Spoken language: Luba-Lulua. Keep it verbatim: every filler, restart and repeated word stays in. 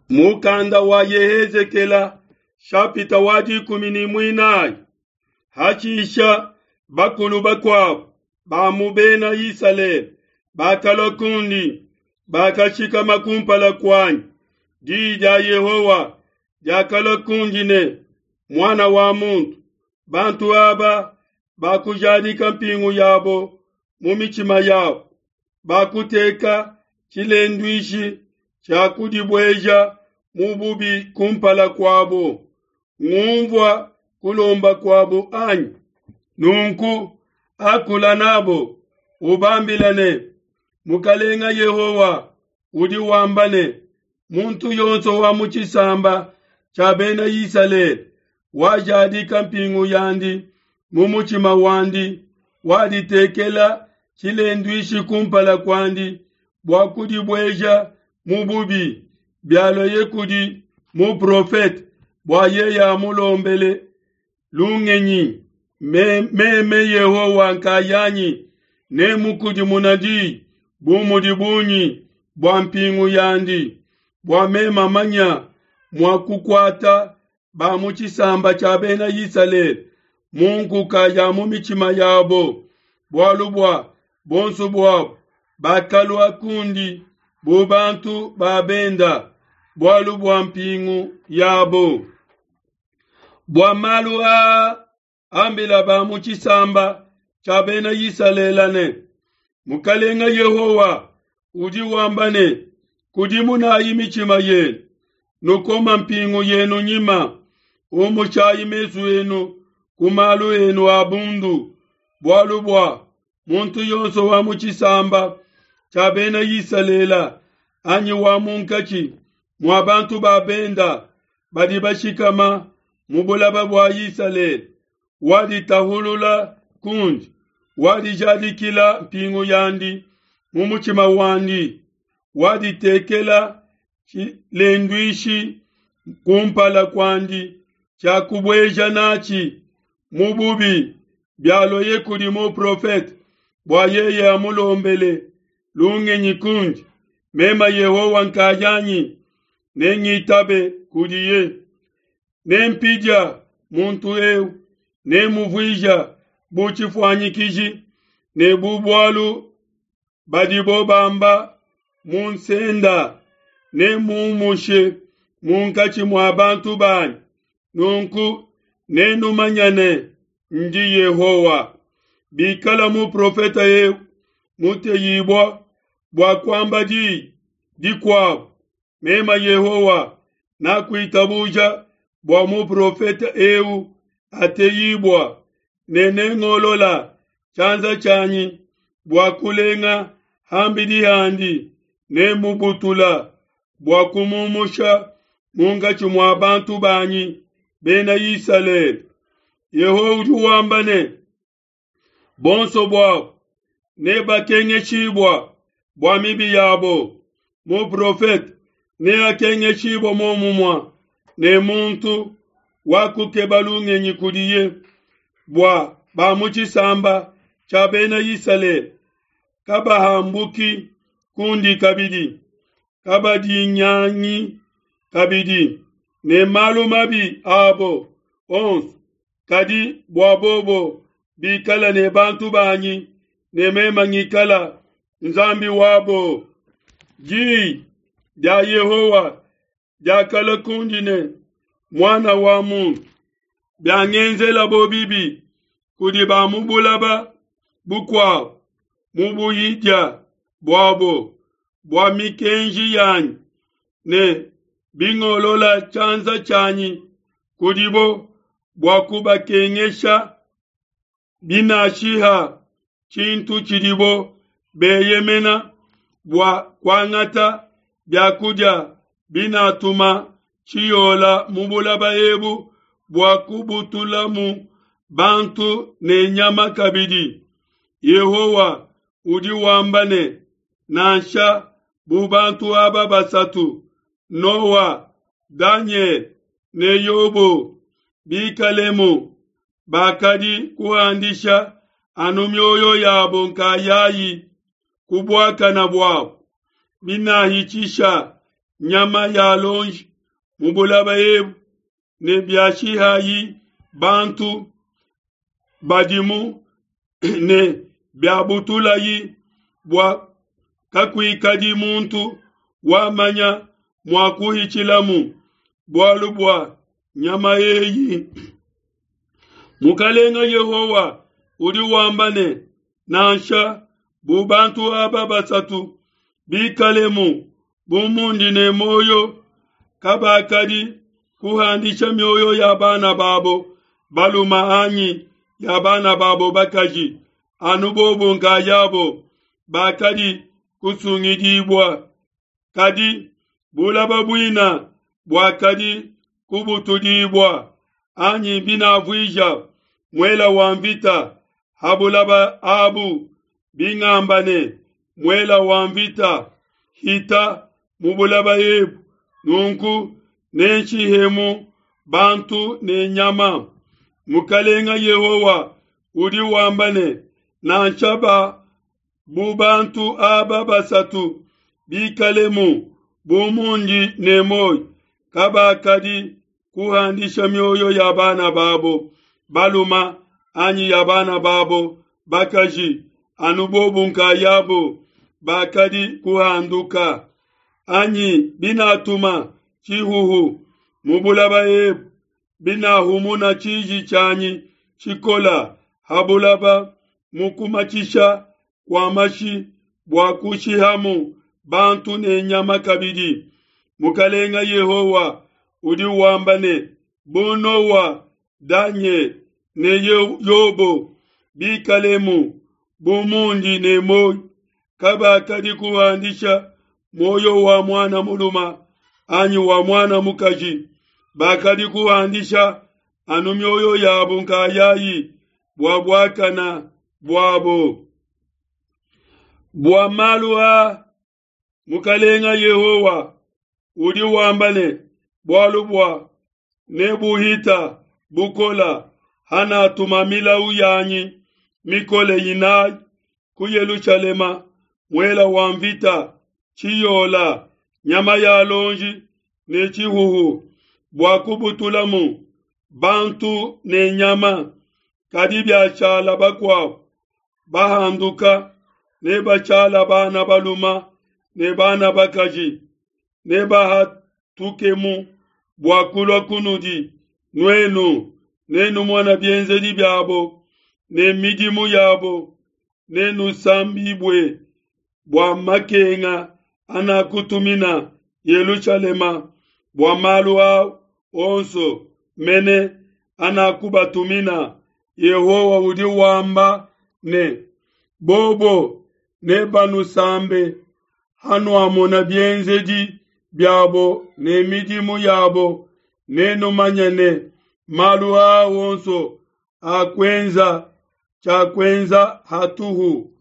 Mukanda wa Yehezekela shapita wa dikumi ne muinayi. Hashisha bakulu bakuabo ba mu Bena Isalele bakalua kundi, bakashikama kumpala kuanyi. Diyi dia Yehowa diakalua kundi ne, muana wa muntu, bantu aba bakujadika mpingu yabo mu mitshima yabo, bakuteka tshilenduishi tshia kudibueja mu bubi kumpala kuabo. Ngumvua kulomba kuabo anyi? Nunku akula nabo, ubambila ne, Mukalenga Yehowa udi wamba ne, muntu yonso wa mu tshisamba tshia Bena Isalele wajadika mpingu yandi mu mutshima wandi, waditekela tshilenduishi kumpala kuandi bua kudibueja mu bubi, bialueye kudi muprofete bua yeye amulombele lungenyi, meme Yehowa nkayanyi nemukudimuna diyi bu mudi bungi bua mpingu yandi, bua meme manya mua kukuata ba mu tshisamba tshia Bena Isalele mu nkuka ya mu mitshima yabo, bualu bua bonso buabo bakalua kundi bu bantu ba benda, bualu bua mpingu yabo. Bua malu aa ambila ba mu tshisamba tshia Bena Isalele ne, Mukalenga Yehowa udi wamba ne, kudimunayi mitshima yenu, nukoma mpingu yenu nyima, umushayi mesu enu ku malu enu a bundu, bualu bua muntu yonso wa mu tshisamba tshia Bena Isalele anyi wa munkatshi mua bantu ba benda badi bashikama mu bulaba bua Isalele waditahulula kundi, wadijadikila mpingu yandi mu mutshima wandi, waditekela tshilenduishi kumpala kuandi tshia kubueja natshi mu bubi, bialueye kudi muprofete bua yeye amulombele lungenyi kundi, meme Yehowa nkayanyi nengitabe kudiye. Nempidia muntu eu, nemuvuija bu tshifuanyikiji ne bu bualu badibo bamba mu nsenda, nemumushe munkatshi mua bantu banyi. Nunku nenumanye ne, ndi Yehowa. Bikala muprofete eu muteyibua bua kuamba diyi dikuabo, meme Yehowa nakuitabuja bua muprofete eu ateyibua, ne nengolola tshianza tshianyi bua kulenga hambidi handi, nemubutula bua kumumusha munkatshi mua bantu banyi Bena Isalele. Yehowa udi wamba ne, bonso buabo nebakengeshibua bua mibi yabo. Muprofete neakengeshibua muomumue ne muntu wakukeba lungenyi kudiye, bua ba mu tshisamba tshia Bena Isalele kabahambuki kundi kabidi, kabadinyangi kabidi ne malu mabi abo onso, kadi bua bobo bikala ne bantu banyi ne meme ngikala Nzambi wabo. Diyi dia Yehowa diakalua kundi ne, muana wa muntu, biangenzelabo bibi kudi ba mu bulaba bukuabo mu buhidia buabo bua mikenji yanyi, ne bingolola tshianza tshianyi kudibo bua kubakengesha, binashiha tshintu tshidibo beyemena bua kuangata biakudia, binatuma tshiyola mu bulaba ebu bua kubutulamu bantu ne nyama kabidi. Yehowa udi wamba ne, nansha bu bantu aba basatu, Noa, Daniel ne Yobo, bikalemu, bakadi kuhandisha anu mioyo yabo nkayayi ku buakana buabo, binahitshisha nyama ya lonji mu bulaba ebu, ne biashihayi bantu badimu ne biabutulayi bua kakuikadi muntu wamanya mua kuhitshilamu bualu bua nyama eyi. Mukalenga Yehowa udi wamba ne, nansha bu bantu aba basatu bikalemu bu mundi ne muoyo, kabakadi kuhandisha mioyo ya bana babo baluma anyi ya bana babo bakaji, anu bobo nkayabo bakadi kusungidibua. Kadi bulaba buina buakadi kubutudibua, anyi binavuija muela wa mvita ha bulaba abu, bingamba ne, muela wa mvita hita mu bulaba ebu, nunku nenshihemu bantu ne nyama. Mukalenga Yehowa udi wamba ne, nansha ba bu bantu aba basatu bikalemu bu mundi ne muoyo, kabakadi kuhandisha mioyo ya bana babo baluma anyi ya bana babo bakaji, anu bobu nkayabo bakadi kuhanduka. Anyi binatuma tshihuhu mu bulaba ebu, binahumuna tshiji tshianyi tshikola ha bulaba mu kumatshisha kua mashi bua kushihamu bantu ne nyama kabidi. Mukalenga Yehowa udi wamba ne, bu Noa, Danyele ne Yobo bikalemu bu mundi ne muoyo, kabakadi kuhandisha muoyo wa mwana muluma anyi wa mwana mukaji, bakadi kuhandisha anu mioyo yabo nkayayi bua buakana buabo. Bua malu a Mukalenga Yehowa udi wamba ne, bualu bua nebuhita bukola hanatuma milau yanyi mikole inayi ku Yelushalema, muela wa mvita, tshiyola, nyama ya lonji ne tshihuhu, bua kubutulamu bantu ne nyama. Kadi biashala bakuabo bahanduka, ne bashala bana baluma ne bana bakaji, ne bahatukemu bua kulua kunudi nuenu, nenumona bienzedi biabo ne midimu yabo, nenusambibue bua makenga anakutumina Yelushalema, bua malu a onso mene anakubatumina. Yehowa udi wamba ne, bobo nebanusambe hanuamona bienzedi biabo ne midimu yabo, nenumanye ne malu a onso akuenza tshiakuenza hatuhu.